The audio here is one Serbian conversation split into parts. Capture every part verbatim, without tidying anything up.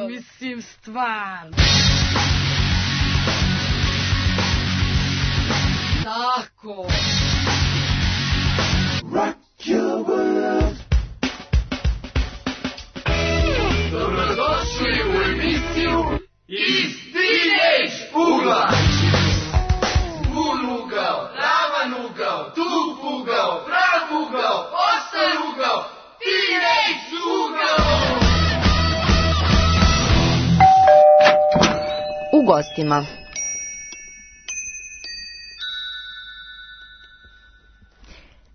Pa mislim stvarno. Tako. Rock your world. Dobrodošli u emisiju iz Teenage ugla. Bun ugao, ravan ugao, tup ugao, prav ugao, ostar ugao, Teenage ugao. U gostima.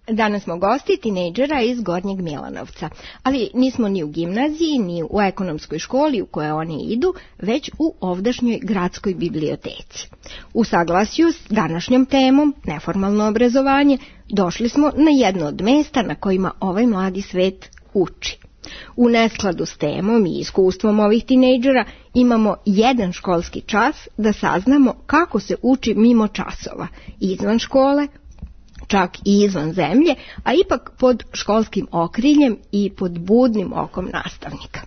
Danas smo gosti tinejdžera iz Gornjeg Milanovca, ali nismo ni u gimnaziji, ni u ekonomskoj školi u kojoj oni idu, već u ovdašnjoj gradskoj biblioteci. U saglasju s današnjom temom, neformalno obrazovanje, došli smo na jedno od mesta na kojima ovaj mladi svet uči. U neskladu s temom i iskustvom ovih tinejdžera imamo jedan školski čas da saznamo kako se uči mimo časova, izvan škole, čak i izvan zemlje, a ipak pod školskim okriljem i pod budnim okom nastavnika.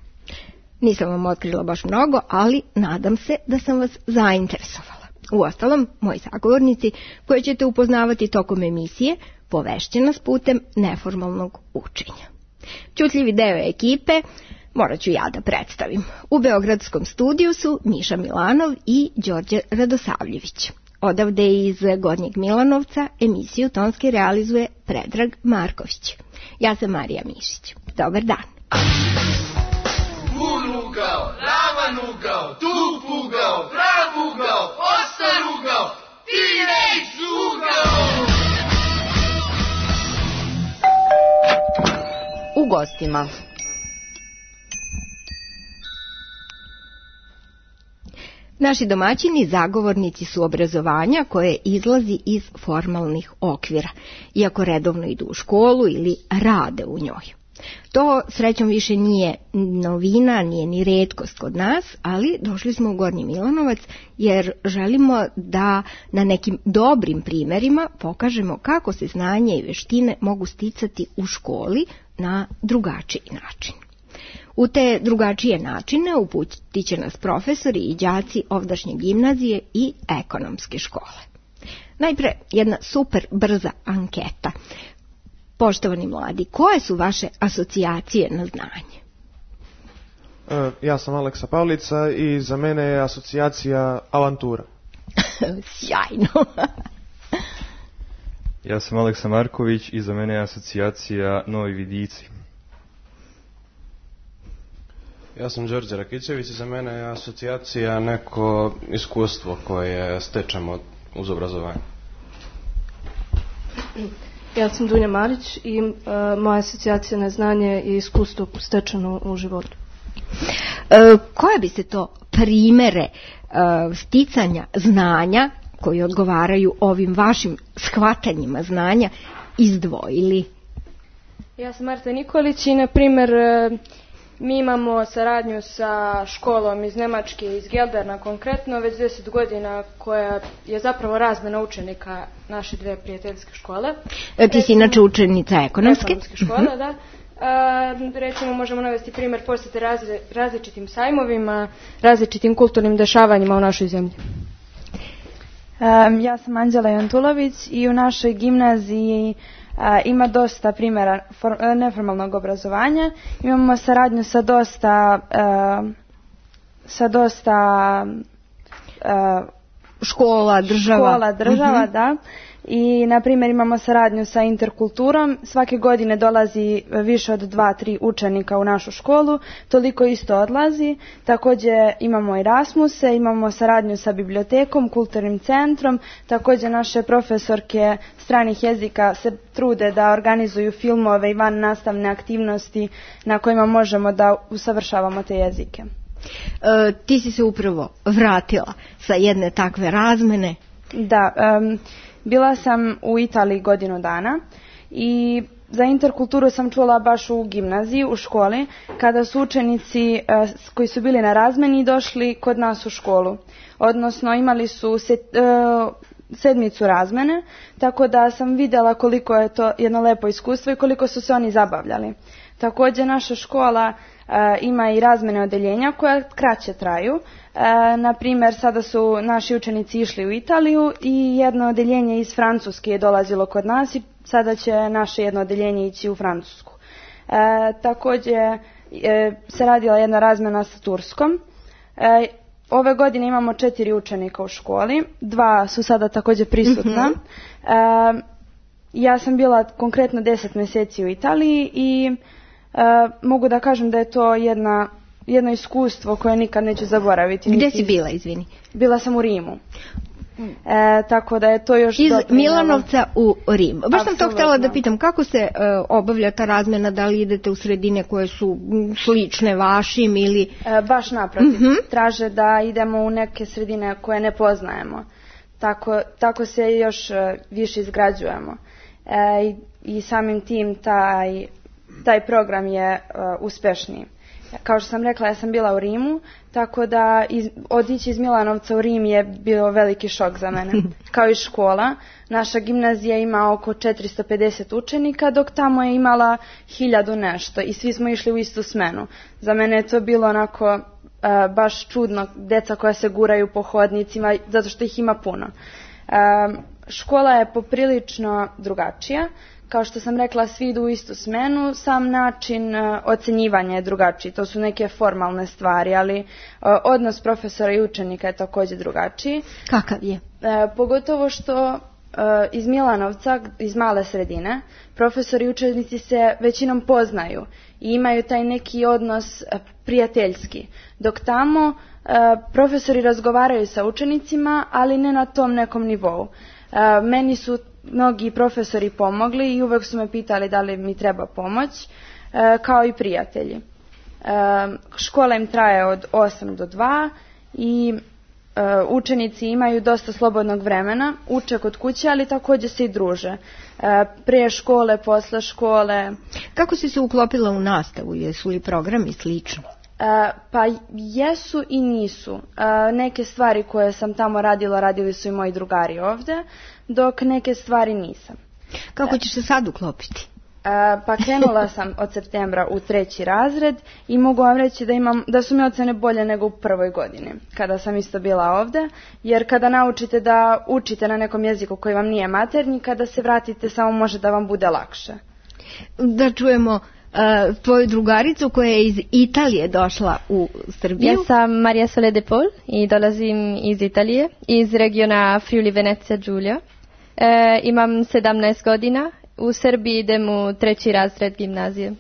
Nisam vam otkrila baš mnogo, ali nadam se da sam vas zainteresovala. Uostalom, moji sagovornici, koje ćete upoznavati tokom emisije, povešće nas putem neformalnog učenja. Ćutljivi deo ekipe morat ću ja da predstavim. U beogradskom studiju su Miša Milanov i Đorđe Radosavljević. Odavde iz Gornjeg Milanovca emisiju tonski realizuje Predrag Marković. Ja sam Marija Mišić. Dobar dan. Bun ugao, ravan ugao, tup ugao, prav ugao, ostar ugao, Teenage ugao. U gostima. Naši domaćini zagovornici su obrazovanja koje izlazi iz formalnih okvira, iako redovno idu u školu ili rade u njoj. To srećom više nije novina, nije ni retkost kod nas, ali došli smo u Gornji Milanovac jer želimo da na nekim dobrim primjerima pokažemo kako se znanje i veštine mogu sticati u školi na drugačiji način. U te drugačije načine uputit će nas profesori i đaci ovdašnje gimnazije i ekonomske škole. Najpre jedna super brza anketa. Poštovani mladi, koje su vaše asocijacije na znanje? E, ja sam Aleksa Pavlica i za mene je asocijacija avantura. Sjajno. Ja sam Aleksa Marković i za mene je asocijacija Novi Vidici. Ja sam Đorđe Rakićević i za mene je asocijacija neko iskustvo koje stečemo uz obrazovanje. Ja sam Dunja Marić i uh, moja asocijacija na znanje i iskustvo stečeno u životu. E, koje bi se to primere uh, sticanja znanja koji odgovaraju ovim vašim shvatanjima znanja izdvojili? Ja sam Marta Nikolić i na primjer uh, mi imamo saradnju sa školom iz Nemačke, iz Gelderna konkretno, već deset godina, koja je zapravo razmena učenika naše dve prijateljske škole. E, ti si inače učenica ekonomske? Ekonomske škole, da. A, recimo možemo navesti primjer posjete razli, različitim sajmovima, različitim kulturnim dešavanjima u našoj zemlji. Um, ja sam Anđela Jantulović i u našoj gimnaziji Uh, ima dosta primjera for, neformalnog obrazovanja. Imamo saradnju sa dosta uh, sa dosta uh, škola, država. Škola, država, uh-huh. Da. I, na primjer, imamo saradnju sa interkulturom. Svake godine dolazi više od dva, tri učenika u našu školu. Toliko isto odlazi. Također imamo Erasmuse, imamo saradnju sa bibliotekom, kulturnim centrom. Također naše profesorke stranih jezika se trude da organizuju filmove i van nastavne aktivnosti na kojima možemo da usavršavamo te jezike. E, ti si se upravo vratila sa jedne takve razmene. Da, um, bila sam u Italiji godinu dana i za interkulturu sam čula baš u gimnaziji, u školi, kada su učenici uh, koji su bili na razmeni došli kod nas u školu. Odnosno imali su se, uh, sedmicu razmene, tako da sam vidjela koliko je to jedno lepo iskustvo i koliko su se oni zabavljali. Također naša škola e, ima i razmene odeljenja koja kraće traju. E, na primjer, sada su naši učenici išli u Italiju i jedno odeljenje iz Francuske je dolazilo kod nas i sada će naše jedno odeljenje ići u Francusku. E, također e, se radila jedna razmena sa Turskom. E, ove godine imamo četiri učenika u školi, dva su sada također prisutna. Mm-hmm. E, ja sam bila konkretno deset mjeseci u Italiji i e, mogu da kažem da je to jedna, jedno iskustvo koje nikad neću zaboraviti. Gdje si bila, izvini? Bila sam u Rimu. E, tako da je to još iz doprinjelo. Milanovca u Rim. Baš sam to htjela da pitam, kako se uh, obavlja ta razmjena, da li idete u sredine koje su slične vašim ili... E, baš naprotiv, uh-huh. traže da idemo u neke sredine koje ne poznajemo. Tako, tako se još uh, više izgrađujemo. E, i, i samim tim taj, taj program je uh, uspešniji. Kao što sam rekla, ja sam bila u Rimu, tako da iz, otići iz Milanovca u Rim je bio veliki šok za mene. Kao i škola, naša gimnazija ima oko četiristo pedeset učenika, dok tamo je imala hiljadu nešto i svi smo išli u istu smenu. Za mene je to bilo onako uh, baš čudno, deca koja se guraju po hodnicima, zato što ih ima puno. Uh, škola je poprilično drugačija. Kao što sam rekla, svi idu u istu smenu, sam način uh, ocenjivanja je drugačiji. To su neke formalne stvari, ali uh, odnos profesora i učenika je također drugačiji. Kakav je? Uh, pogotovo što uh, iz Milanovca, iz male sredine, profesori i učenici se većinom poznaju i imaju taj neki odnos uh, prijateljski. Dok tamo uh, profesori razgovaraju sa učenicima, ali ne na tom nekom nivou. Uh, meni su mnogi profesori pomogli i uvijek su me pitali da li mi treba pomoć, e, kao i prijatelji. E, škola im traje od osam do dva i e, učenici imaju dosta slobodnog vremena, uče kod kuće, ali također se i druže. E, prije škole, posle škole. Kako si se uklopila u nastavu? Jesu li programi slični? E, pa jesu i nisu. E, neke stvari koje sam tamo radila, radili su i moji drugari ovdje, dok neke stvari nisam. Kako ćeš se sad uklopiti? E, pa krenula sam od septembra u treći razred i mogu vam reći da, imam, da su mi ocene bolje nego u prvoj godini, kada sam isto bila ovdje, jer kada naučite da učite na nekom jeziku koji vam nije maternji, kada se vratite samo može da vam bude lakše. Da čujemo Uh, tvoju drugaricu koja je iz Italije došla u Srbiju. Ja sam Maria Sole De Paul i dolazim iz Italije, iz regiona Friuli Venezia Giulia. E, imam sedamnaest godina, u Srbiji idem u treći razred gimnazije.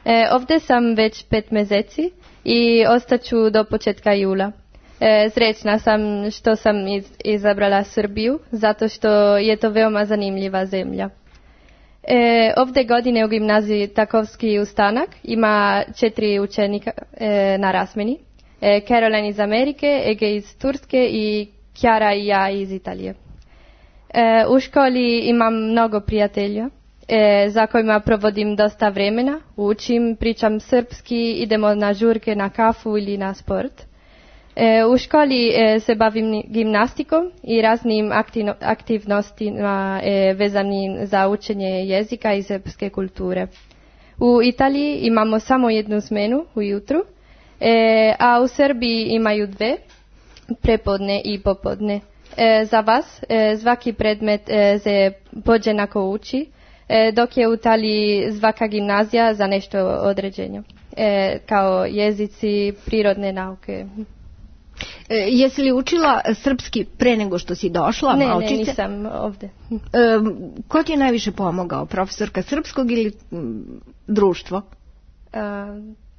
E, ovdje sam već pet mjeseci i ostaću do početka jula. E, srećna sam što sam iz, izabrala Srbiju, zato što je to veoma zanimljiva zemlja. E, ovdje godine u gimnaziji Takovski ustanak ima četiri učenika e, na razmeni. E, Caroline iz Amerike, Ege iz Turske i Chiara i ja iz Italije. E, u školi imam mnogo prijatelja e, za kojima provodim dosta vremena. Učim, pričam srpski, idemo na žurke, na kafu ili na sport. E, u školi e, se bavim gimnastikom i raznim aktivno, aktivnostima e, vezanim za učenje jezika i srpske kulture. U Italiji imamo samo jednu smenu ujutru, e, a u Srbiji imaju dve, prepodne i popodne. E, za vas e, svaki predmet e, se podjednako uči, e, dok je u Italiji svaka gimnazija za nešto određenje, e, kao jezici, prirodne nauke. E, jesi li učila srpski pre nego što si došla? Ne, ne, nisam ovdje. E, ko ti je najviše pomogao? Profesorka srpskog ili m, društvo? E,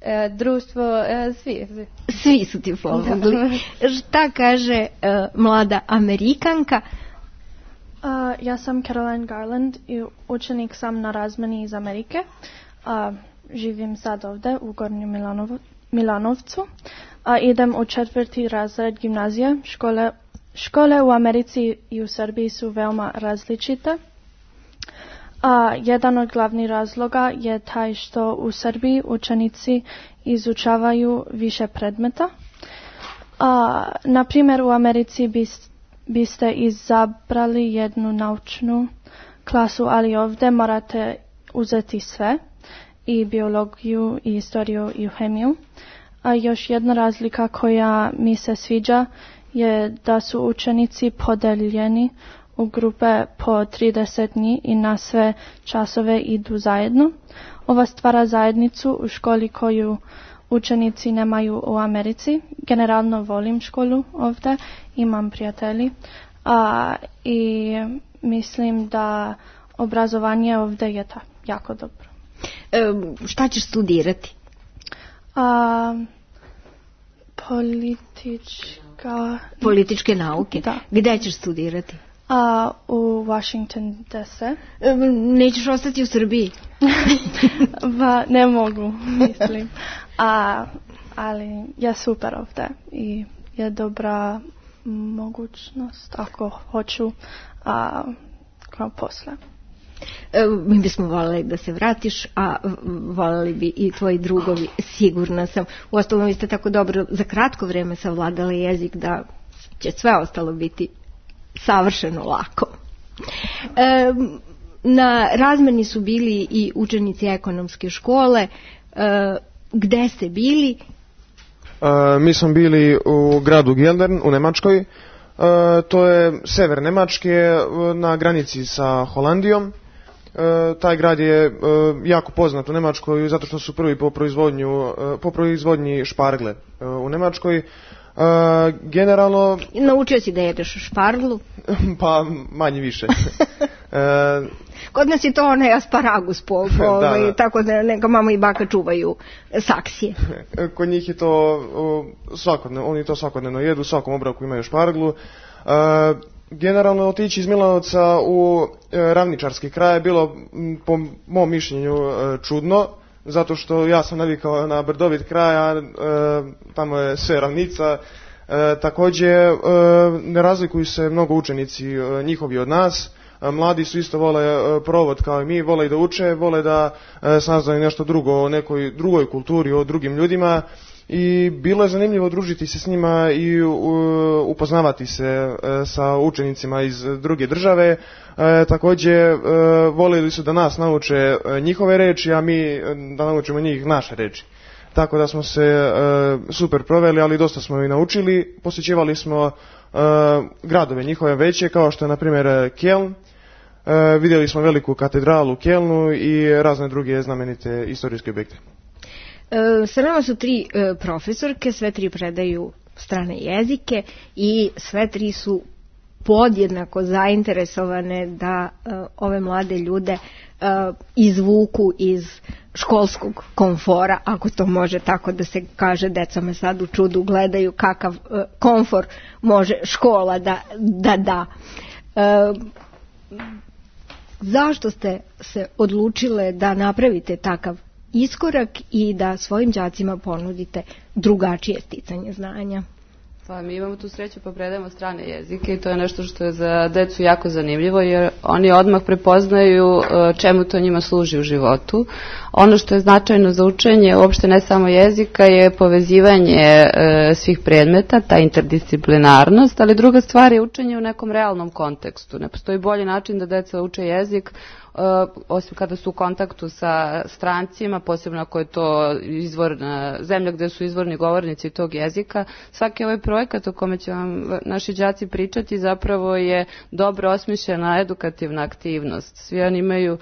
e, društvo, e, svi, svi. Svi su ti pomogli. Šta kaže e, mlada Amerikanka? Uh, ja sam Caroline Garland i učenik sam na razmeni iz Amerike. Uh, živim sad ovdje u Gornjem Milanov, Milanovcu. A idem u četvrti razred gimnazije. Škole, škole u Americi i u Srbiji su veoma različite. A jedan od glavnih razloga je taj što u Srbiji učenici izučavaju više predmeta. A, na primjer, u Americi bi biste izabrali jednu naučnu klasu, ali ovdje morate uzeti sve, i biologiju, i istoriju, i hemiju. A još jedna razlika koja mi se sviđa je da su učenici podeljeni u grupe po trideset dni i na sve časove idu zajedno. Ova stvara zajednicu u školi koju učenici nemaju u Americi. Generalno volim školu ovdje, imam prijatelji a, i mislim da obrazovanje ovdje je ta, jako dobro. E, šta ćeš studirati? A, politička... Političke nauke? Da. Gdje ćeš studirati? A, u Washington D C. E, nećeš ostati u Srbiji? Ba, ne mogu, mislim. A, ali je super ovdje i je dobra mogućnost ako hoću a, kao posle. E, mi bismo voljeli da se vratiš, a voljeli bi i tvoji drugovi, sigurna sam. Uostalom, vi ste tako dobro za kratko vrijeme savladali jezik da će sve ostalo biti savršeno lako. E, na razmeni su bili i učenici ekonomske škole. E, gde ste bili? E, mi smo bili u gradu Geldern u Nemačkoj. E, to je sever Nemačke na granici sa Holandijom. E, taj grad je e, jako poznat u Nemačkoj zato što su prvi po, proizvodnju, e, po proizvodnji špargle e, u Nemačkoj. Uh, generalno... Naučio si da jedeš šparglu? Pa manje više. uh, Kod nas je to onaj asparagus po, po ovaj, da, da. Tako da neka mama i baka čuvaju saksije. Kod njih je to uh, svakodnevno, oni to svakodnevno jedu, u svakom obroku imaju šparglu. Uh, generalno otići iz Milanovca u uh, ravničarski kraj je bilo m, po mom mišljenju uh, čudno. Zato što ja sam navikao na brdovit kraj, a e, tamo je sve ravnica. E, također e, ne razlikuju se mnogo učenici e, njihovi od nas. E, mladi su isto vole e, provod kao i mi, vole i da uče, vole da e, saznaju nešto drugo o nekoj drugoj kulturi, o drugim ljudima. I bilo je zanimljivo družiti se s njima i uh, upoznavati se uh, sa učenicima iz druge države. Uh, također uh, volili su da nas nauče uh, njihove reči, a mi uh, da naučimo njih naše reči. Tako da smo se uh, super proveli, ali dosta smo i naučili. Posjećivali smo uh, gradove njihove veće, kao što je na primjer Köln. Uh, vidjeli smo veliku katedralu u Kölnu i razne druge znamenite istorijske objekte. Sa nama su tri e, profesorke, sve tri predaju strane jezike i sve tri su podjednako zainteresovane da e, ove mlade ljude e, izvuku iz školskog komfora, ako to može tako da se kaže. Deca me sad u čudu gledaju kakav e, komfor može škola da da. da. E, zašto ste se odlučile da napravite takav iskorak i da svojim đacima ponudite drugačije sticanje znanja? Pa mi imamo tu sreću pa predajemo strane jezike i to je nešto što je za decu jako zanimljivo jer oni odmah prepoznaju čemu to njima služi u životu. Ono što je značajno za učenje, uopšte ne samo jezika, je povezivanje svih predmeta, ta interdisciplinarnost, ali druga stvar je učenje u nekom realnom kontekstu. Ne postoji bolji način da deca uče jezik Uh, osim kada su u kontaktu sa strancima, posebno ako je to izvorna zemlja gdje su izvorni govornici tog jezika. Svaki ovaj projekat o kome će vam naši đaci pričati zapravo je dobro osmišljena edukativna aktivnost. Svi oni imaju uh,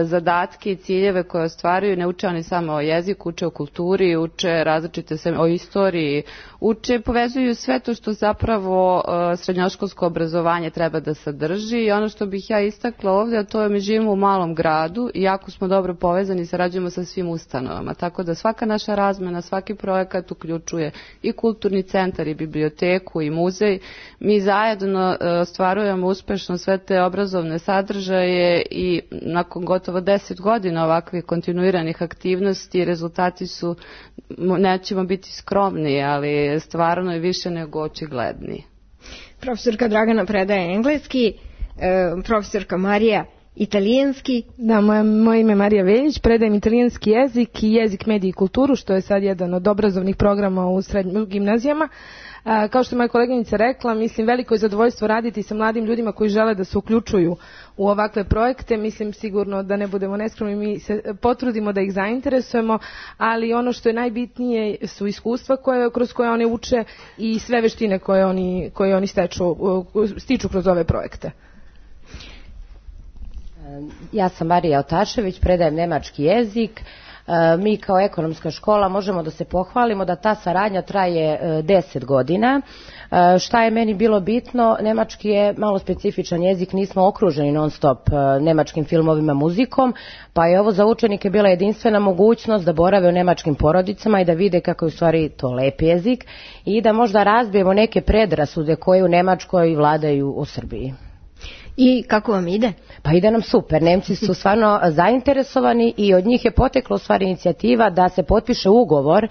zadatke i ciljeve koje ostvaruju, ne uče oni samo o jeziku, uče o kulturi, uče različite se o istoriji, uče, povezuju sve to što zapravo uh, srednjoškolsko obrazovanje treba da sadrži. I ono što bih ja istakla ovdje, a to je mi živimo u malom gradu i jako smo dobro povezani i sarađujemo sa svim ustanovama. Tako da svaka naša razmena, svaki projekat uključuje i kulturni centar i biblioteku i muzej. Mi zajedno uh, ostvarujemo uspešno sve te obrazovne sadržaje i nakon gotovo deset godina ovakvih kontinuiranih aktivnosti rezultati su, nećemo biti skromni, ali stvarno je više nego očigledni. Profesorka Dragana predaje engleski, e, profesorka Marija italijanski. Da, moje, moje ime je Marija Veljić, predajem italijanski jezik i jezik, medije i kulturu, što je sad jedan od obrazovnih programa u srednjim gimnazijama. Kao što je moja koleginica rekla, mislim, veliko je zadovoljstvo raditi sa mladim ljudima koji žele da se uključuju u ovakve projekte. Mislim sigurno da ne budemo neskromni, mi se potrudimo da ih zainteresujemo, ali ono što je najbitnije su iskustva koje, kroz koje one uče i sve veštine koje oni, koje oni steču, stiču kroz ove projekte. Ja sam Marija Otašević, predajem nemački jezik. Mi kao ekonomska škola možemo da se pohvalimo da ta saradnja traje deset godina. Šta je meni bilo bitno, nemački je malo specifičan jezik, nismo okruženi non stop nemačkim filmovima, muzikom, pa je ovo za učenike bila jedinstvena mogućnost da borave u nemačkim porodicama i da vide kako je u stvari to lep jezik i da možda razbijemo neke predrasude koje u Nemačkoj vladaju u Srbiji. I kako vam ide? Pa ide nam super. Nemci su stvarno zainteresovani i od njih je potekla u stvari inicijativa da se potpiše ugovor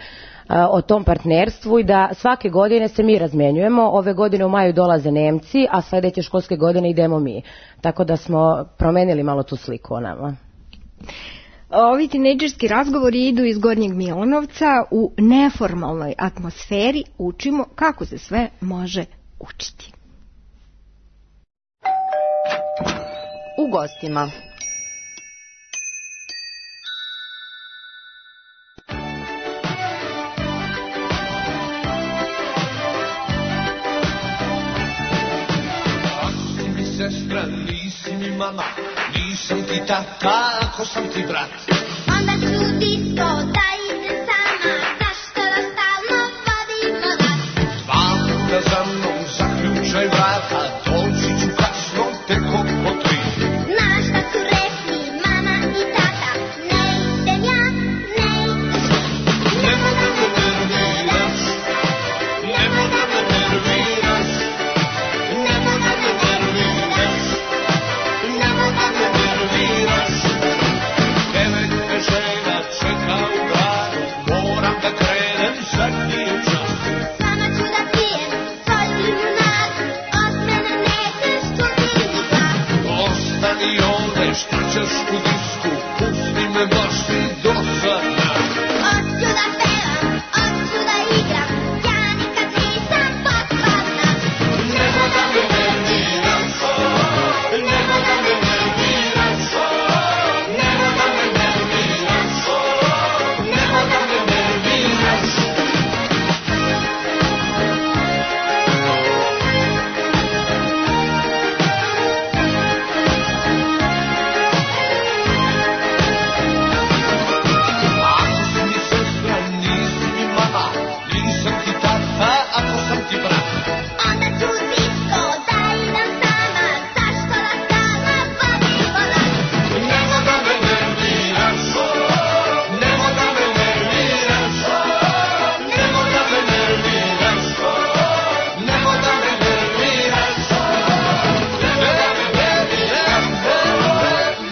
o tom partnerstvu i da svake godine se mi razmenjujemo. Ove godine u maju dolaze Nemci, a sledeće školske godine idemo mi. Tako da smo promenili malo tu sliku o nama. Ovi tinejdžerski razgovori idu iz Gornjeg Milanovca. U neformalnoj atmosferi učimo kako se sve može učiti. U gostima. Ako si mi sestra, nisi mi mama, nisam ti tata, ako sam ti brat. Onda ću disko da idem sama, zašto da stalno vodimo rat? Dva puta za mnom zaključaj vrata, doći ću kasno tek oko tri. Znaš da su rekli mama i tata, ne idem ja, ne ideš ti. Nemoj da me nerviraš, nemoj da me nerviraš, nemoj da me nerviraš, nemoj da me nerviraš. Devet me žena čeka u gradu, moram da krenem, zadnji je čas. Sama ću da pijem svoj limunadu, od mene nećeš čuti ni glas. Ostani ovde, šta ćeš u disku, pusti me baš ti dosadna. Hoću da pevam, hoću da igram, ja nikad nisam potpadna. Nemoj da me nerviraš, nemoj da me nerviraš, nemoj da me nerviraš, nemoj da me nerviraš. Ako si mi sestra, nisi mi mama, nisam ti tata, ako sam ti brat. Onda ću disko da idem sama, zašto da stalno vodimo rat? Nemoj da me nerviraš, nemoj da me nerviraš, nemoj da me nerviraš, nemoj da me nerviraš, nemoj da me nerviraš,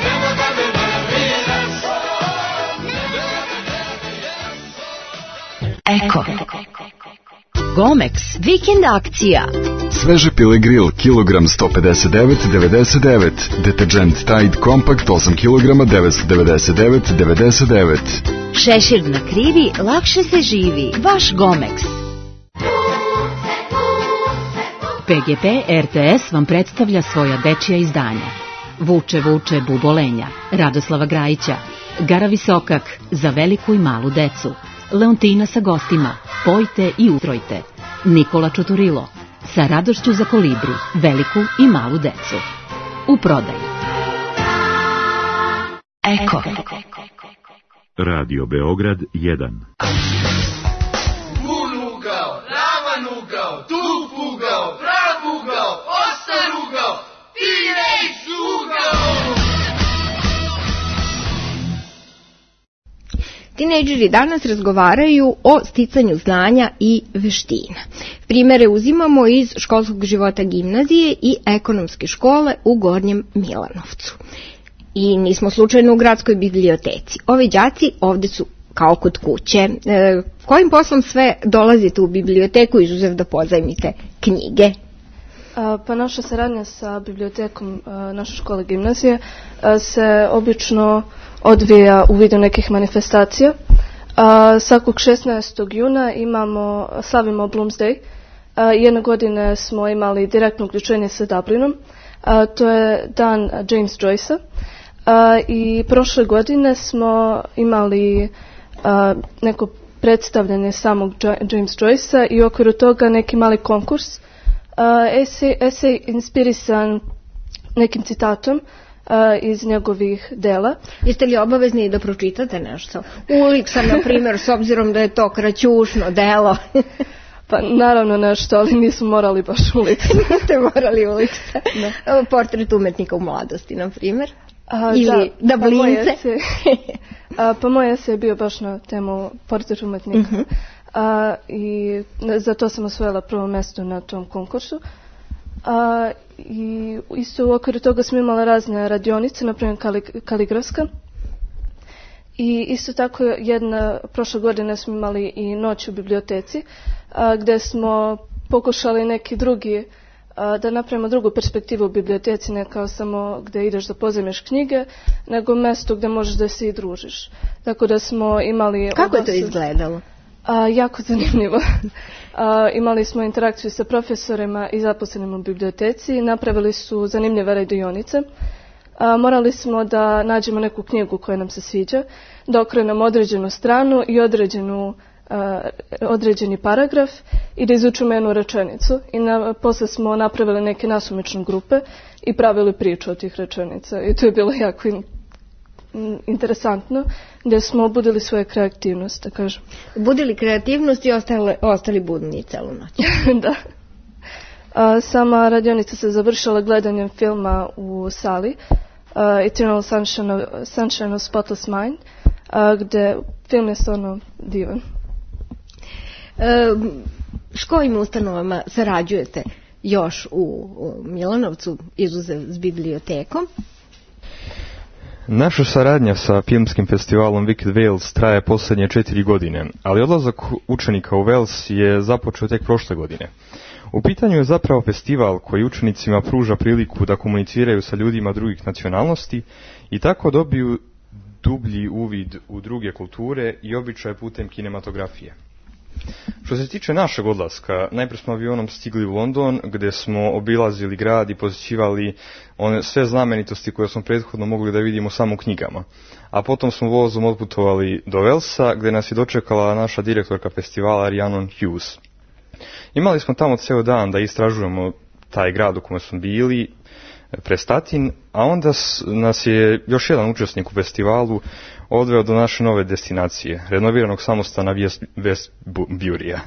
nemoj da me nerviraš. Eko. Gomex, vikend akcija. Sveže pile grill, kilogram sto pedeset devet devedeset devet. Deterđent Tide Compact osam kilograma devetsto devedeset devet devedeset devet. Šešir na krivi, lakše se živi. Vaš Gomex. P G P R T S vam predstavlja svoja dečija izdanja. Vuče, vuče, bubolenja, Radoslava Grajića, Gara Visokak, za veliku i malu decu, Leontina sa gostima, Pojte i utrojte, Nikola Čuturilo, sa radošću za kolibri, veliku i malu decu. U prodaju. Eko. Radio Beograd jedan. Bun ugao, ravan ugao, tup ugao, prav ugao, ostar ugao, teenage ugao. Tinejdžeri danas razgovaraju o sticanju znanja i veština. Primere uzimamo iz školskog života gimnazije i ekonomske škole u Gornjem Milanovcu. I nismo slučajno u gradskoj biblioteci. Ovi đaci ovde su kao kod kuće. E, kojim poslom sve dolazite u biblioteku izuzev da pozajmite knjige? Pa naša saradnja sa bibliotekom naše škole gimnazije se obično odvija u vidu nekih manifestacija. Svakog šesnaestog juna imamo, slavimo Bloomsday A, jedne godine smo imali direktno uključenje sa Dublinom. A, to je dan James Joycea. A, I prošle godine smo imali a, neko predstavljanje samog James Joycea i u okviru toga neki mali konkurs. Uh, esej, esej inspirisan nekim citatom uh, iz njegovih dela. Jeste li obavezni da pročitate nešto? Uliksa, na primjer, s obzirom da je to kraćušno delo. Pa naravno nešto, ali nismo morali baš Uliksa. Niste morali Uliksa. Portret umetnika u mladosti, na primjer. A, ili da, Dablince. Pa, pa moj esej je bio baš na temu portret umetnika. Uh-huh. A, I za to sam osvojila prvo mjesto na tom konkursu. A, I isto u okviru toga smo imali razne radionice, na primjer kali, kaligrafska. I isto tako jedna, prošle godine smo imali i noć u biblioteci, a, gdje smo pokušali neki drugi, a, da napravimo drugu perspektivu u biblioteci, ne kao samo gdje ideš da pozajmiš knjige, nego mjesto gdje možeš da se i družiš. Tako da smo imali... Kako je to izgledalo? A, jako zanimljivo. A, imali smo interakciju sa profesorima i zaposlenim u biblioteci, napravili su zanimljive radionice. A, morali smo da nađemo neku knjigu koja nam se sviđa, da okrenemo određenu stranu i određenu, a, određeni paragraf i da izučimo jednu rečenicu. I na, posle smo napravili neke nasumične grupe i pravili priču od tih rečenica. I to je bilo jako in, interesantno, gdje smo budili svoje kreativnost, da kažem. Budili kreativnost i ostali, ostali budni celu noć. Da. A, sama radionica se završila gledanjem filma u sali uh, Eternal Sunshine of, Sunshine of Spotless Mind, uh, gdje film je stvarno divan. E, s kojim ustanovama sarađujete još u, u Milanovcu, izuzev s bibliotekom? Naša saradnja sa filmskim festivalom Wicked Wales traje posljednje četiri godine, ali odlazak učenika u Wales je započeo tek prošle godine. U pitanju je zapravo festival koji učenicima pruža priliku da komuniciraju sa ljudima drugih nacionalnosti i tako dobiju dublji uvid u druge kulture i običaje putem kinematografije. Što se tiče našeg odlaska, najprije smo avionom stigli u London, gdje smo obilazili grad i posjećivali one sve znamenitosti koje smo prethodno mogli da vidimo samo u knjigama. A potom smo vozom otputovali do Walesa, gdje nas je dočekala naša direktorka festivala Rhiannon Hughes. Imali smo tamo ceo dan da istražujemo taj grad u kome smo bili, Prestatin, a onda nas je još jedan učesnik u festivalu odveo do naše nove destinacije, renoviranog samostana Westburyja.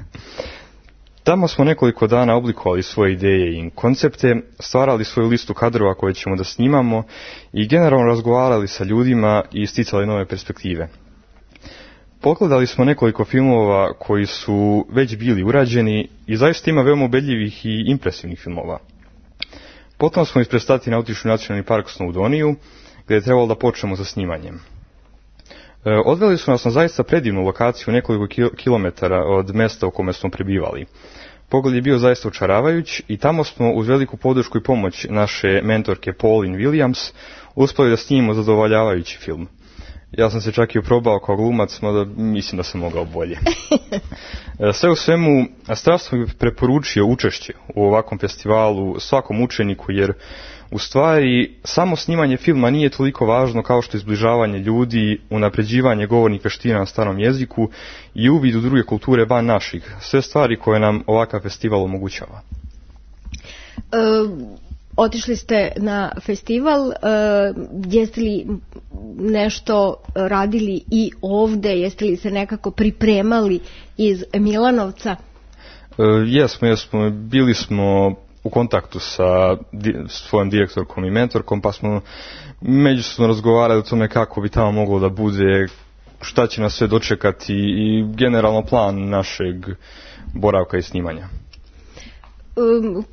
Tamo smo nekoliko dana oblikovali svoje ideje i koncepte, stvarali svoju listu kadrova koje ćemo da snimamo i generalno razgovarali sa ljudima i isticali nove perspektive. Pogledali smo nekoliko filmova koji su već bili urađeni i zaista ima veoma ubedljivih i impresivnih filmova. Potom smo iz Prestatina otišli u nacionalni park Snowdoniju, gdje je trebalo da počnemo sa snimanjem. E, odveli su nas na zaista predivnu lokaciju nekoliko kilometara od mjesta u kome smo prebivali. Pogled je bio zaista očaravajuć i tamo smo uz veliku podršku i pomoć naše mentorke Pauline Williams uspjeli da snimimo zadovoljavajući film. Ja sam se čak i oprobao kao glumac, mada mislim da sam mogao bolje. Sve u svemu, strašno bih preporučio učešće u ovakvom festivalu svakom učeniku, jer u stvari samo snimanje filma nije toliko važno kao što izbližavanje ljudi, unapređivanje govornih veština na starom jeziku i uvid u druge kulture van naših. Sve stvari koje nam ovakav festival omogućava. E, otišli ste na festival, e, jeste li nešto radili i ovde, jeste li se nekako pripremali iz Milanovca? E, jesmo, jesmo, bili smo u kontaktu sa di, svojom direktorkom i mentorkom, pa smo međusobno razgovarali o tome kako bi tamo moglo da bude, šta će nas sve dočekati i generalno plan našeg boravka i snimanja. Um,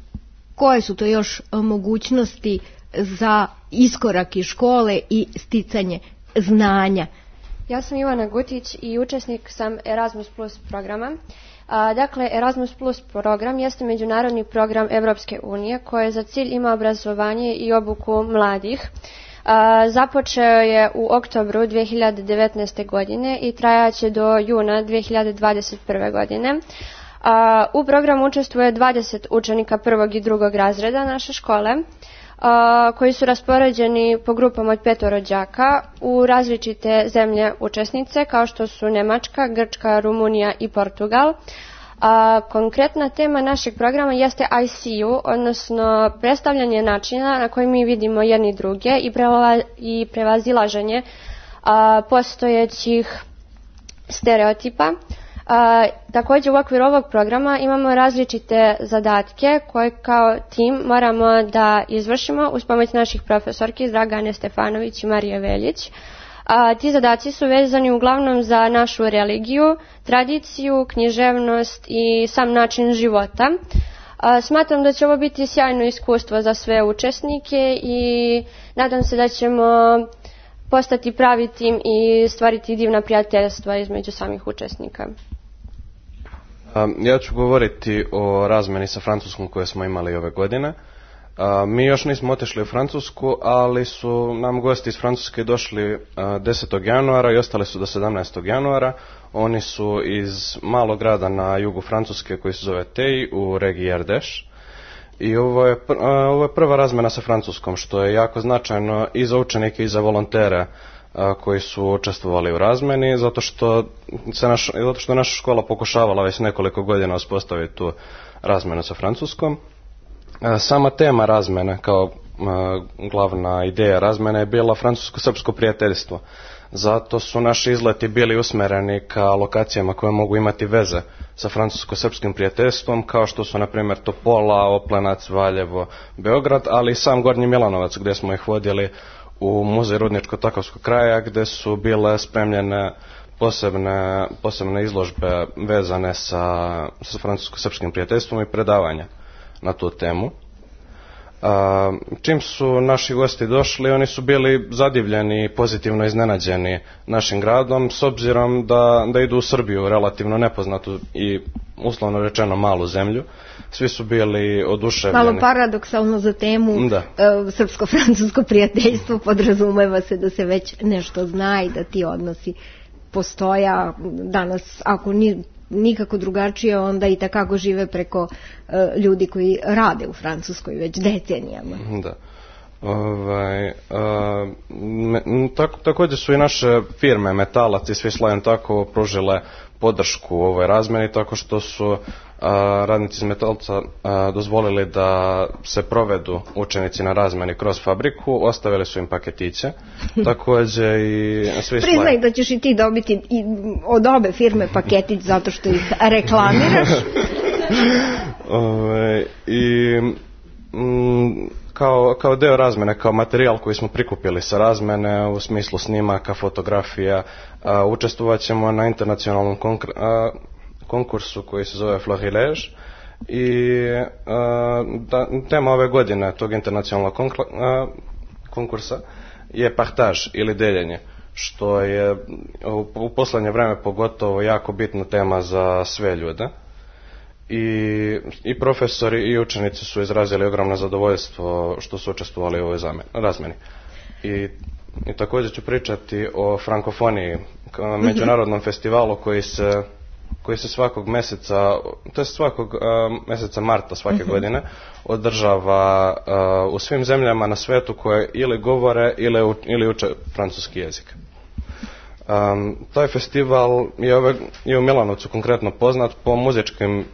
koje su to još mogućnosti za iskorak iz škole i sticanje znanja? Ja sam Ivana Gutić i učesnik sam Erasmus Plus programa. A, dakle, Erasmus Plus program jeste međunarodni program Evropske unije koji za cilj ima obrazovanje i obuku mladih. A, započeo je u oktobru dvije hiljade devetnaeste. godine i trajaće do juna dvije hiljade dvadeset prve. godine. A, u programu učestvuje dvadeset učenika prvog i drugog razreda naše škole, a, koji su raspoređeni po grupama od petoro đaka u različite zemlje učesnice kao što su Nemačka, Grčka, Rumunija i Portugal. A, konkretna tema našeg programa jeste I C U, odnosno predstavljanje načina na koji mi vidimo jedni druge i, preva, i prevazilaženje a, postojećih stereotipa. A, također u okviru ovog programa imamo različite zadatke koje kao tim moramo da izvršimo uz pomoć naših profesorki Dragane Stefanović i Marije Veljić. A, ti zadaci su vezani uglavnom za našu religiju, tradiciju, književnost i sam način života. A, smatram da će ovo biti sjajno iskustvo za sve učesnike i nadam se da ćemo postati pravi tim i stvariti divna prijateljstva između samih učesnika. Ja ću govoriti o razmeni sa Francuskom koje smo imali ove godine. Mi još nismo otišli u Francusku, ali su nam gosti iz Francuske došli desetog januara i ostali su do sedamnaestog januara. Oni su iz malog grada na jugu Francuske koji se zove Tej u regiji Ardèche. I ovo je, ovo je prva razmena sa Francuskom, što je jako značajno i za učenike i za volontere koji su učestvovali u razmeni, zato što se naš, zato što naša škola pokušavala već nekoliko godina uspostaviti tu razmenu sa Francuskom. Sama tema razmene kao glavna ideja razmene je bila francusko-srpsko prijateljstvo. Zato su naši izleti bili usmereni ka lokacijama koje mogu imati veze sa francusko-srpskim prijateljstvom, kao što su na primjer Topola, Oplenac, Valjevo, Beograd, ali i sam Gornji Milanovac gdje smo ih vodili u muzej Rudničko-Takovskog kraja gdje su bile spremljene posebne, posebne izložbe vezane sa, sa francusko-srpskim prijateljstvom i predavanja na tu temu. A, čim su naši gosti došli, oni su bili zadivljeni i pozitivno iznenađeni našim gradom, s obzirom da, da idu u Srbiju, relativno nepoznatu i uslovno rečeno malu zemlju. Svi su bili oduševljeni. Malo paradoksalno za temu da. e, srpsko-francusko prijateljstvo, podrazumeva se da se već nešto zna i da ti odnosi postoja danas, ako ni nikako drugačije, onda i takako žive preko e, ljudi koji rade u Francuskoj već decenijama. Da. Ovaj, a, me, tako, također su i naše firme Metalac i Swisslines tako pružile podršku u ovoj razmeni, tako što su a, radnici iz Metalca a, dozvolili da se provedu učenici na razmeni kroz fabriku, ostavili su im paketiće, također i Swisslines. Priznaj da ćeš i ti dobiti i od obe firme paketić zato što ih reklamiraš. Ove, i mm, kao, kao deo razmene, kao materijal koji smo prikupili sa razmene u smislu snimaka, fotografija, a, učestvovat ćemo na internacionalnom konkr- a, konkursu koji se zove Florilege i a, da, tema ove godine tog internacionalnog konkla, a, konkursa je partage ili deljenje, što je u, u poslednje vreme pogotovo jako bitna tema za sve ljude. I, i profesori i učenici su izrazili ogromno zadovoljstvo što su učestvovali u ovoj razmeni. I, i također ću pričati o frankofoniji, međunarodnom festivalu koji se, koji se svakog mjeseca, to je svakog uh, mjeseca marta svake uh-huh. godine, održava uh, u svim zemljama na svijetu koje ili govore ili, u, ili uče francuski jezik. Um, taj festival je, ove, je u Milanovcu konkretno poznat po muzičkim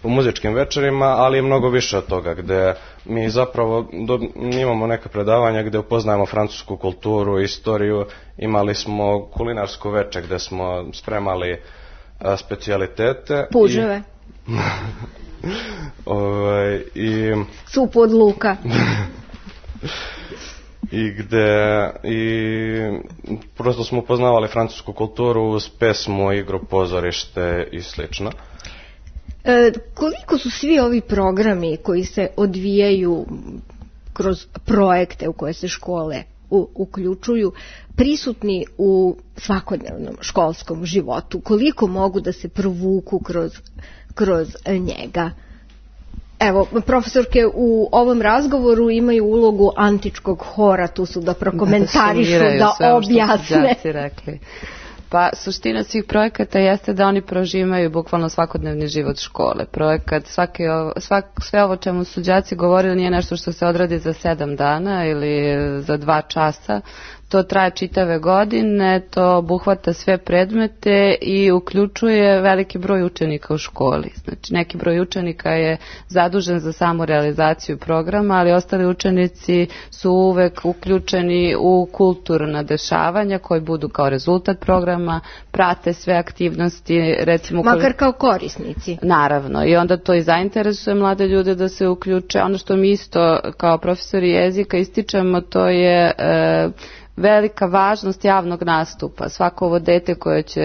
u muzičkim večerima, ali je mnogo više od toga, gdje mi zapravo do, imamo neka predavanja gdje upoznajemo francusku kulturu, istoriju. Imali smo kulinarsko veče gdje smo spremali a, specijalitete. Puževe. I, ovaj, i supu od luka. I gde i prosto smo upoznavali francusku kulturu uz pesmu, igru, pozorište i slično. E, koliko su svi ovi programi koji se odvijaju kroz projekte u koje se škole u, uključuju prisutni u svakodnevnom školskom životu? Koliko mogu da se provuku kroz, kroz njega? Evo, profesorke u ovom razgovoru imaju ulogu antičkog hora, tu su da prokomentarišu, da, da objasne. Rekli. Pa suština svih projekata jeste da oni proživaju bukvalno svakodnevni život škole. Projekat, svaki, svak, sve ovo čemu su đaci govorili nije nešto što se odradi za sedam dana ili za dva časa. To traje čitave godine, to obuhvata sve predmete i uključuje veliki broj učenika u školi. Znači, neki broj učenika je zadužen za samu realizaciju programa, ali ostali učenici su uvek uključeni u kulturna dešavanja koji budu kao rezultat programa, prate sve aktivnosti, recimo... Makar kao korisnici. Naravno, i onda to i zainteresuje mlade ljude da se uključe. Ono što mi isto kao profesori jezika ističemo, to je... E, velika važnost javnog nastupa. Svako ovo dete koje će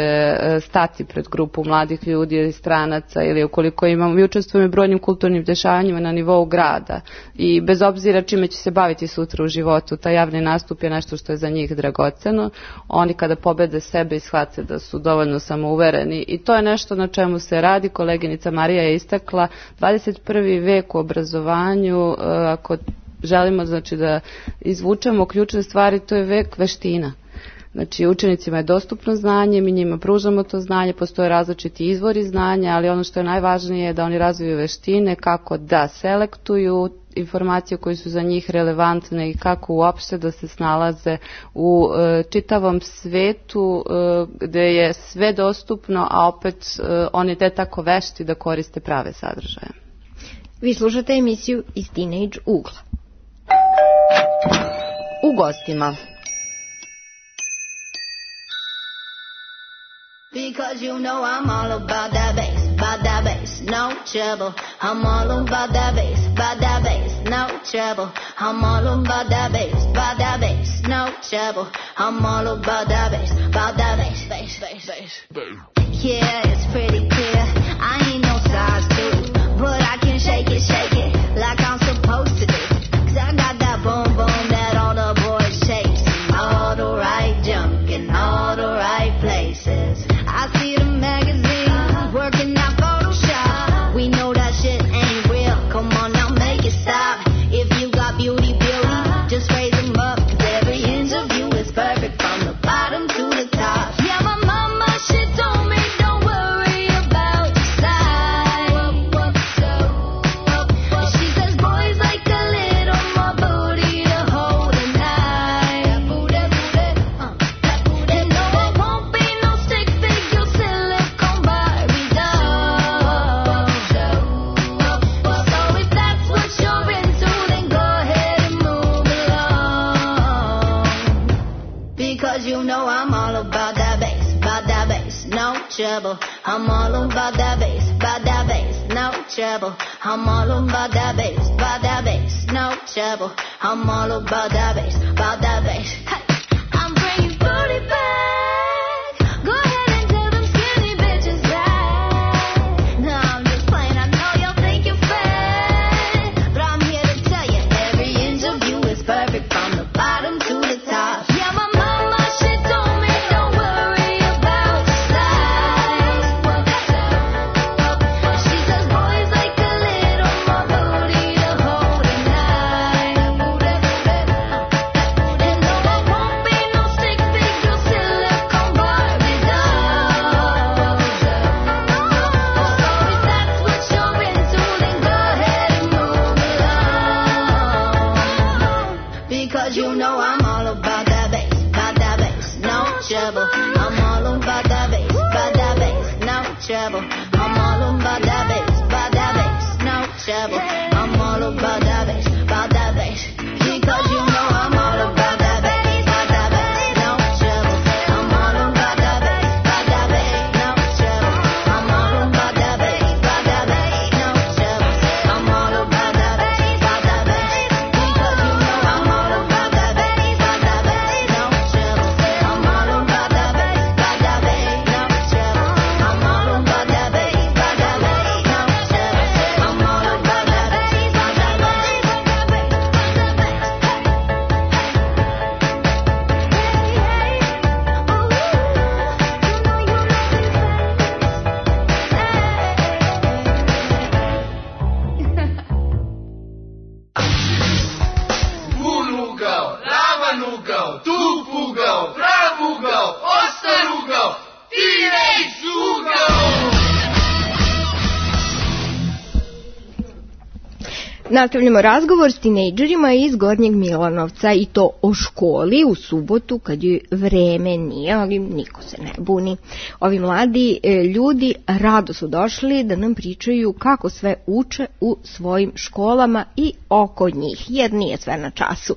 stati pred grupu mladih ljudi ili stranaca ili ukoliko imamo, mi učestvujemo u brojnim kulturnim dešavanjima na nivou grada i bez obzira čime će se baviti sutra u životu, taj javni nastup je nešto što je za njih dragoceno. Oni kada pobede sebe i shvate da su dovoljno samouvereni i to je nešto na čemu se radi. Koleginica Marija je istakla dvadeset prvi vek u obrazovanju, ako želimo znači da izvučemo ključne stvari, to je vek veština. Znači učenicima je dostupno znanje, mi njima pružamo to znanje, postoje različiti izvori znanja, ali ono što je najvažnije je da oni razviju veštine kako da selektuju informacije koje su za njih relevantne i kako uopšte da se snalaze u e, čitavom svetu e, gde je sve dostupno, a opet e, oni te tako vešti da koriste prave sadržaje. Vi slušate emisiju iz Teenage ugla. U gostima. Because you know I'm all about that bass, about that bass, no trouble. I'm all about that bass, about that bass, no trouble. I'm all about that bass, about that bass, no trouble. I'm all about that bass, about that bass, bass, bass, bass. Yeah, it's pretty clear. I ain't no size two, but I can shake it, shake it like I'm supposed to do. Cause I got that boom boom that all the boys chase. All the right junk in all the right places. I see the magazines working out Photoshop. We know that shit ain't real. Come on now, make it stop. If you got beauty, beauty, just raise them up. Cause every inch of you is perfect from the bottom to the top. Yeah, my mama, she told me don't worry about the size. She says boys like a little more booty to hold at night. You know it won't be no stick figure silicone Barbie doll. So if that's what you're into, then go ahead and move along. Because you know I'm all about that bass, about that bass, no trouble. I'm all about that bass, about that bass, no trouble. I'm all about that bass, about that bass, no trouble. I'm all about that bass, about that bass. Hey, I'm bringing booty back. Go ahead and tell them skinny bitches that. No, I'm just playing. I know y'all think you're fat, but I'm here to tell you every inch of you is perfect from the bottom to the top. Yeah, my mama, she told me don't worry about the size. She says boys like a little more booty to hold at night. And no, I won't be no stick figure silicone Barbie doll. So if that's what you're into, then go ahead and move along. Because you know I'm all about that bass, about that bass, no trouble. I'm all about that bass, about that bass, no trouble. I'm all about that bass, about that bass, no trouble. I'm all about that bass, about that bass. Because you know I'm all about that bass, about that bass, no trouble. I'm all about that bass, about that bass, no trouble. I'm all about that bass, about that bass, no trouble. I'm all about that bass, about that bass. Because you know I'm all about that bass, about that bass, no trouble. I'm all about that bass, about that bass, no trouble. I'm all about that bass, about that bass, no trouble. I'm all about that bass, about that bass, Un ugao, ravan ugao, tup ugao, prav ugao, ostar ugao. ugao, teenage ugao. Nastavljamo razgovor s tinejdžerima iz Gornjeg Milanovca i to o školi u subotu kad joj vreme nije, ali niko se ne buni. Ovi mladi e, ljudi rado su došli da nam pričaju kako sve uče u svojim školama i oko njih, jer nije sve na času.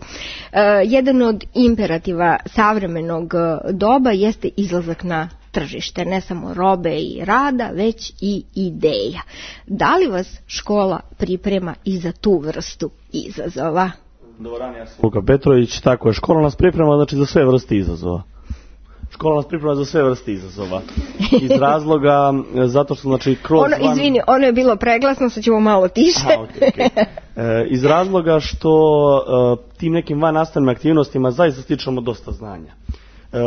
E, jedan od imperativa savremenog doba jeste izlazak na tržište, ne samo robe i rada, već i ideja. Da li vas škola priprema i za tu vrstu izazova? Dobar dan, ja sam Luka Petrović, tako je, škola nas priprema znači za sve vrste izazova. Škola nas priprema za sve vrste izazova. Iz razloga, zato što znači kroz... Ono, van... Izvini, ono je bilo preglasno, sad ćemo malo tiše. Aha, okay, okay. E, iz razloga što e, tim nekim van nastavnim aktivnostima zaista stičemo dosta znanja. E,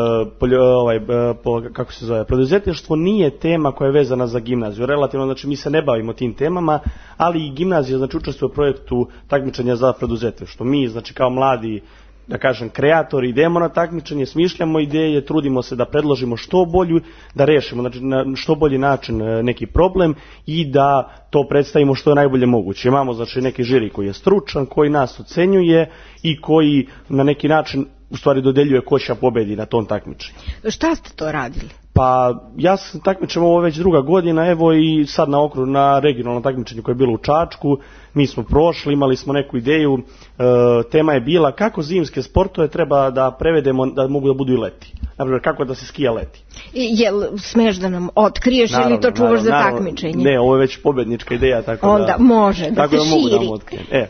poljo, ovaj, po, kako se zove, preduzetništvo nije tema koja je vezana za gimnaziju. Relativno, znači mi se ne bavimo tim temama, ali i gimnazija znači učestvuje u projektu takmičenja za preduzetništvo. Mi, znači kao mladi, da kažem, kreatori, idemo na takmičenje, smišljamo ideje, trudimo se da predložimo što bolju, da rešimo znači, na što bolji način neki problem i da to predstavimo što je najbolje moguće. Imamo znači neki žiri koji je stručan, koji nas ocenjuje i koji na neki način u stvari dodeljuje ko će pobedi na tom takmičenju. Šta ste to radili? Pa ja sam takmičem ovo već druga godina, evo i sad na okru na regionalnom takmičenju koje je bilo u Čačku, mi smo prošli, imali smo neku ideju, e, tema je bila kako zimske sportove treba da prevedemo da mogu da budu i leti. Naprimjer, kako da se skija leti. I, jel smeš da nam otkriješ naravno, ili to čuvaš naravno, za naravno, takmičenje? Ne, ovo je već pobednička ideja, tako onda da... Onda može, da tako se da mogu širi. da vam otkrijem. E,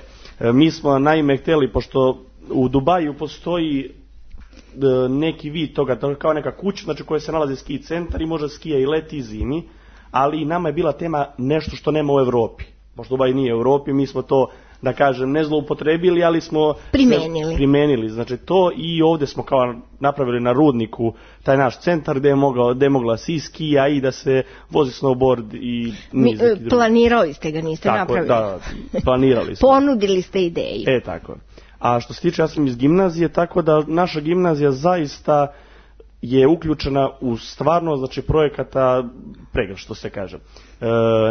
mi smo naime htjeli, pošto u Dubaju postoji neki vid toga, kao neka kuća, znači koja se nalazi ski centar i može skija i leti i zimi, ali nama je bila tema nešto što nema u Evropi. Pošto Dubaj nije u Evropi, mi smo to, da kažem, ne zloupotrebili, ali smo primenili. primenili. Znači to i ovdje smo kao napravili na Rudniku taj naš centar gdje je, mogao, gdje je mogla si skija i da se vozi snowboard i niz. Mi, planirali ste ga, niste tako, napravili. Da, planirali smo. Ponudili ste ideju. E, tako. A što se tiče, ja sam iz gimnazije, tako da naša gimnazija zaista je uključena u stvarno, znači, projekata pregršt, što se kaže. E,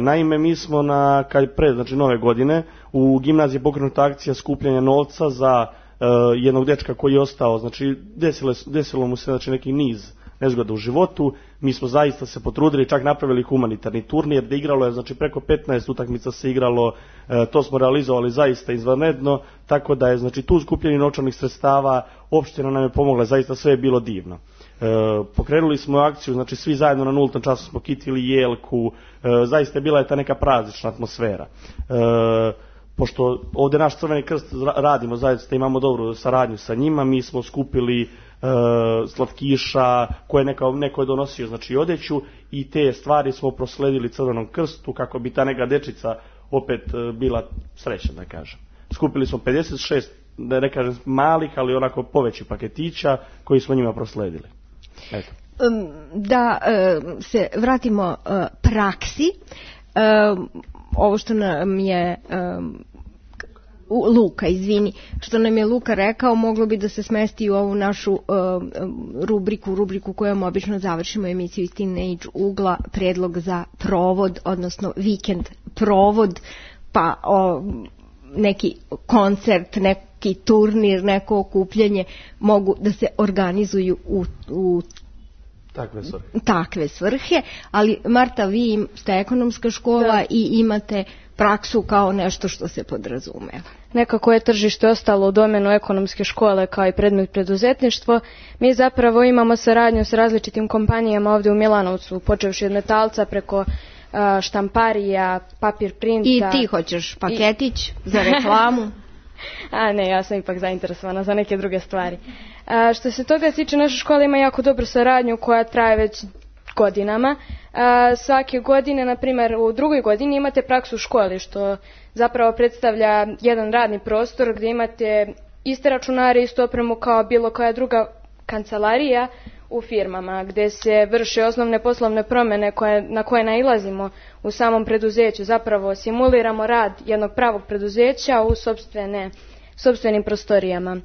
naime, mi smo na, kad pre, znači, nove godine, u gimnaziji pokrenuta akcija skupljanja novca za e, jednog dečka koji je ostao, znači, desilo, desilo mu se, znači, neki niz nezgoda u životu. Mi smo zaista se potrudili, čak napravili humanitarni turnir, gdje igralo je, znači, preko petnaest utakmica se igralo, e, to smo realizovali zaista izvanredno, tako da je, znači, tu skupljeni novčanih sredstava, opština nam je pomogla, zaista sve je bilo divno. E, pokrenuli smo akciju, znači svi zajedno na nultom času smo kitili jelku, e, zaista je bila je ta neka praznična atmosfera. E, pošto ovdje naš Crveni krst radimo, zaista imamo dobru saradnju sa njima, mi smo skupili e, slatkiša koje neko, neko je donosio, znači odjeću, i te stvari smo prosledili Crvenom krstu kako bi ta neka dečica opet e, bila srećna, da kažem. Skupili smo pedeset šest, da ne kažem malih, ali onako povećih paketića koji smo njima prosledili. Eto. Da se vratimo praksi, ovo što nam je Luka, izvini, što nam je Luka rekao, moglo bi da se smesti u ovu našu rubriku, rubriku kojom obično završimo emisiju iz Teenage ugla, predlog za provod, odnosno vikend provod, pa o, neki koncert, neki turnir, neko okupljanje mogu da se organizuju u, u takve svrhe. takve svrhe, ali Marta, vi ste ekonomska škola da. I imate praksu kao nešto što se podrazumeva. Nekako je tržište ostalo u domenu ekonomske škole kao i predmet preduzetništvo. Mi zapravo imamo saradnju s različitim kompanijama ovdje u Milanovcu, počevši od metalca preko štamparija, papir printa. I ti hoćeš paketić I... za reklamu? A ne, ja sam ipak zainteresovana za neke druge stvari. A, što se toga tiče, naša škola ima jako dobru saradnju koja traje već godinama. A, svake godine, na primjer u drugoj godini imate praksu u školi, što zapravo predstavlja jedan radni prostor gdje imate iste računare, istu opremu kao bilo koja druga kancelarija u firmama, gdje se vrše osnovne poslovne promjene koje, na koje nailazimo u samom preduzeću. Zapravo simuliramo rad jednog pravog preduzeća u sopstvene sopstvenim prostorijama.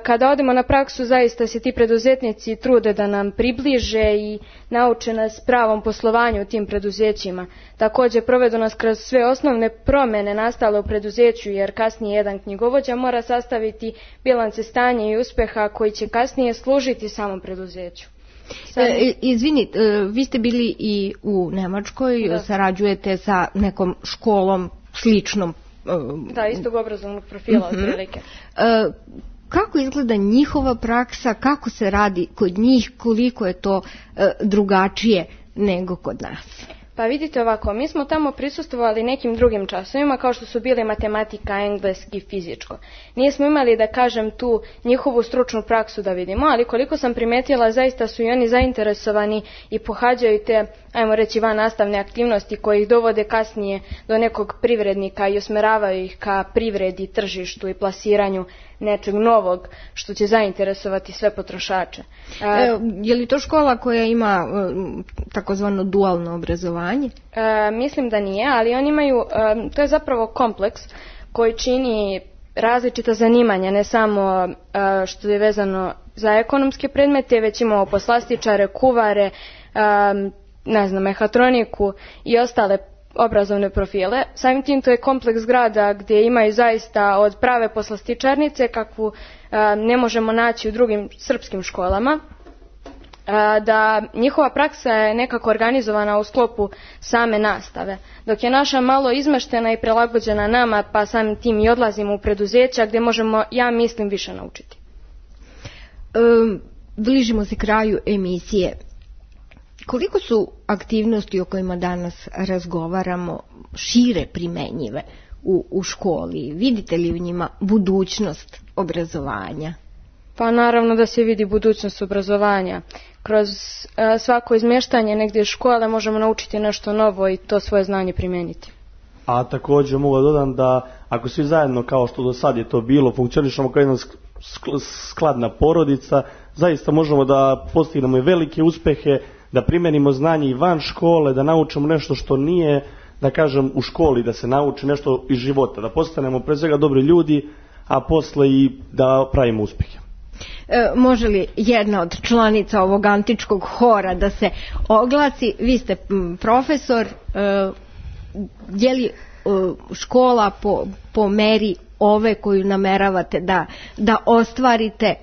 Kada odemo na praksu, zaista se ti preduzetnici trude da nam približe i nauče nas pravom poslovanju u tim preduzećima. Također provedu nas kroz sve osnovne promjene nastale u preduzeću, jer kasnije jedan knjigovođa mora sastaviti bilance stanja i uspeha koji će kasnije služiti samom preduzeću. E, izvini, vi ste bili i u Nemačkoj, da. Sarađujete sa nekom školom sličnom. Da, istog obrazovnog profila uh-huh. otprilike. E, kako izgleda njihova praksa, kako se radi kod njih, koliko je to e, drugačije nego kod nas? Pa vidite ovako, mi smo tamo prisustvovali nekim drugim časovima kao što su bili matematika, engleski, fizičko. Nismo imali, da kažem, tu njihovu stručnu praksu da vidimo, ali koliko sam primetila, zaista su i oni zainteresovani i pohađaju te, ajmo reći, van nastavne aktivnosti koje ih dovode kasnije do nekog privrednika i usmeravaju ih ka privredi, tržištu i plasiranju nečeg novog što će zainteresovati sve potrošače. E, je li to škola koja ima takozvano dualno obrazovanje? E, mislim da nije, ali oni imaju, e, to je zapravo kompleks koji čini različita zanimanja, ne samo e, što je vezano za ekonomske predmete, već imamo poslastičare, kuvare, e, ne znam, mehatroniku i ostale obrazovne profile. Samim tim to je kompleks grada gdje imaju zaista od prave poslastičarnice kakvu a, ne možemo naći u drugim srpskim školama, a, da njihova praksa je nekako organizovana u sklopu same nastave, dok je naša malo izmeštena i prilagođena nama, pa samim tim i odlazimo u preduzeća gdje možemo, ja mislim, više naučiti. Um, bližimo se kraju emisije. Koliko su aktivnosti o kojima danas razgovaramo šire primenjive u, u školi? Vidite li u njima budućnost obrazovanja? Pa naravno da se vidi budućnost obrazovanja. Kroz a, svako izmještanje negdje škole možemo naučiti nešto novo i to svoje znanje primijeniti. A također mogu da dodam da ako svi zajedno, kao što do sad je to bilo, funkcionišemo kao jedna skladna porodica, zaista možemo da postignemo i velike uspehe, da primenimo znanje i van škole, da naučimo nešto što nije, da kažem, u školi, da se nauči nešto iz života, da postanemo pre svega dobri ljudi, a posle i da pravimo uspehe. E, može li jedna od članica ovog antičkog hora da se oglasi? Vi ste m, profesor, e, je li e, škola po, po meri ove koju nameravate da, da ostvarite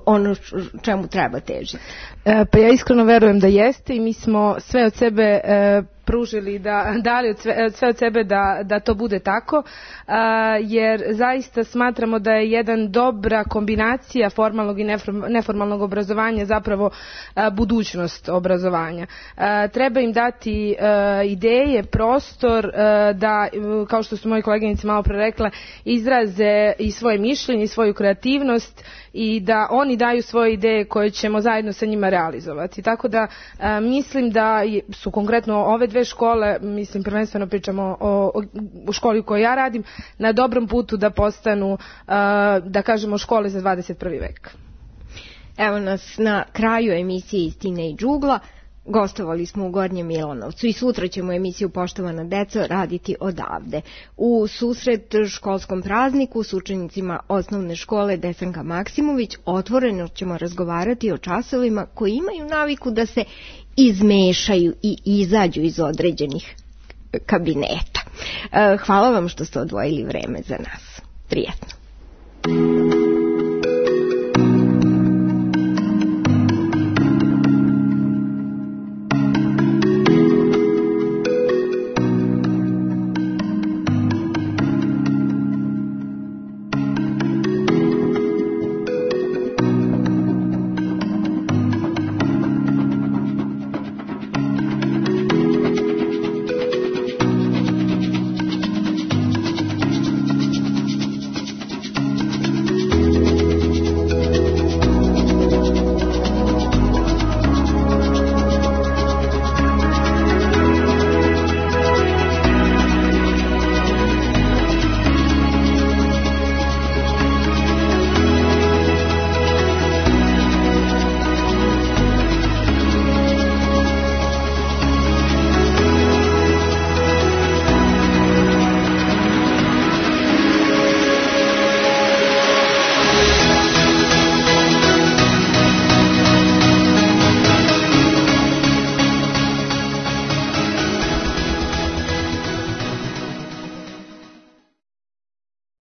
ono čemu treba težiti? E, pa ja iskreno verujem da jeste i mi smo sve od sebe e, pružili, da, dali od sve, sve od sebe da, da to bude tako, a, jer zaista smatramo da je jedan dobra kombinacija formalnog i neformalnog obrazovanja zapravo a, budućnost obrazovanja. A, treba im dati a, ideje, prostor a, da, kao što su moji koleginici malo pre rekla, izraze i svoje mišljenje i svoju kreativnost i da oni daju svoje ideje koje ćemo zajedno sa njima realizovati. Tako da a, mislim da su konkretno ove dve škole, mislim prvenstveno pričamo o, o školi u kojoj ja radim, na dobrom putu da postanu, a, da kažemo, škole za dvadeset prvi vek. Evo nas na kraju emisije Istina i džugla. Gostovali smo u Gornjem Milanovcu i sutra ćemo emisiju Poštovana deco raditi odavde. U susret školskom prazniku s učenicima osnovne škole Desanka Maksimović otvoreno ćemo razgovarati o časovima koji imaju naviku da se izmešaju i izađu iz određenih kabineta. Hvala vam što ste odvojili vreme za nas. Prijetno.